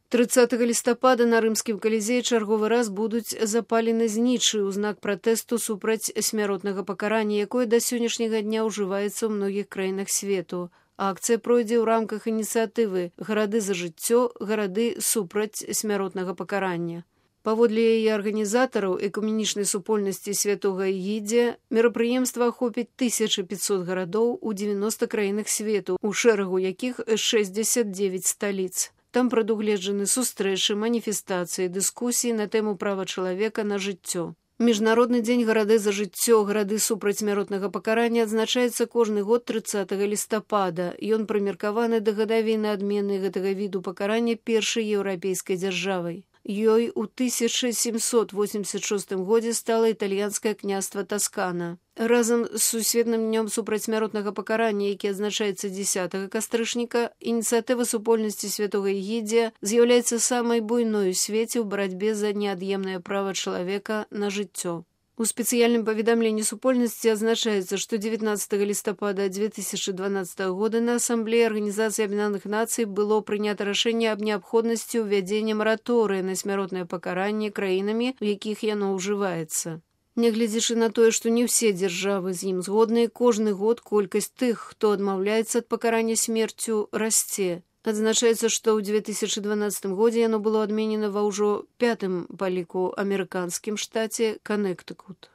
30 лістапада на рымскім калізеі чарговы раз будуць запалены знічы ў знак пратэсту супраць смяротнага пакарання, якое да сённяшняга дня ўжываецца ў многіх краінах свету. Акцыя пройдзе ў рамках ініцыятывы «Гарады за жыццё, гарады супраць смяротнага пакарання». Паводле яе арганізатараў экуменічнай супольнасці святога Ігідзія, мерапрыемства ахопіць 1500 гарадоў у 90 краінах свету, у шэрагу якіх 69 сталіц. Там прадугледжаны сустрэчы, маніфестацыі, дыскусіі на тэму права чалавека на жыццё. Міжнародны дзень гарады за жыццё, гарады супраць смяротнага пакарання адзначаецца кожны год 30 лістапада. Ён прымеркаваны да гадавіны адмены гэтага віду пакарання першай еўрапейскай дзяржавай. Ёй у 1786 годзе стала італьянскае княства Таскана. Разам з сусветным днём супраць смяротнага пакарання, які адзначаецца 10 кастрычніка, ініцыятыва супольнасці святога Ігідзія з'яўляецца самай буйной у свеце ў барацьбе за неад'емнае права чалавека на жыццё. У спецыяльным паведамленні супольнасці адзначаецца, што 19 лістапада 2012 года на Асамблеі Арганізацыі Аб'яднаных Нацый было прынята рашэнне аб неабходнасці ўвядзення мараторыя на смяротнае пакаранне краінамі, у якіх яно ўжываецца. Нягледзячы на тое, што не ўсе дзяржавы з ім згодныя, кожны год колькасць тых, хто адмаўляецца ад пакарання смерцю, расце. Адзначаецца, што ў 2012 годзе яно было адменена ва ўжо 5-м па ліку амерыканскім штаце Канектыкут.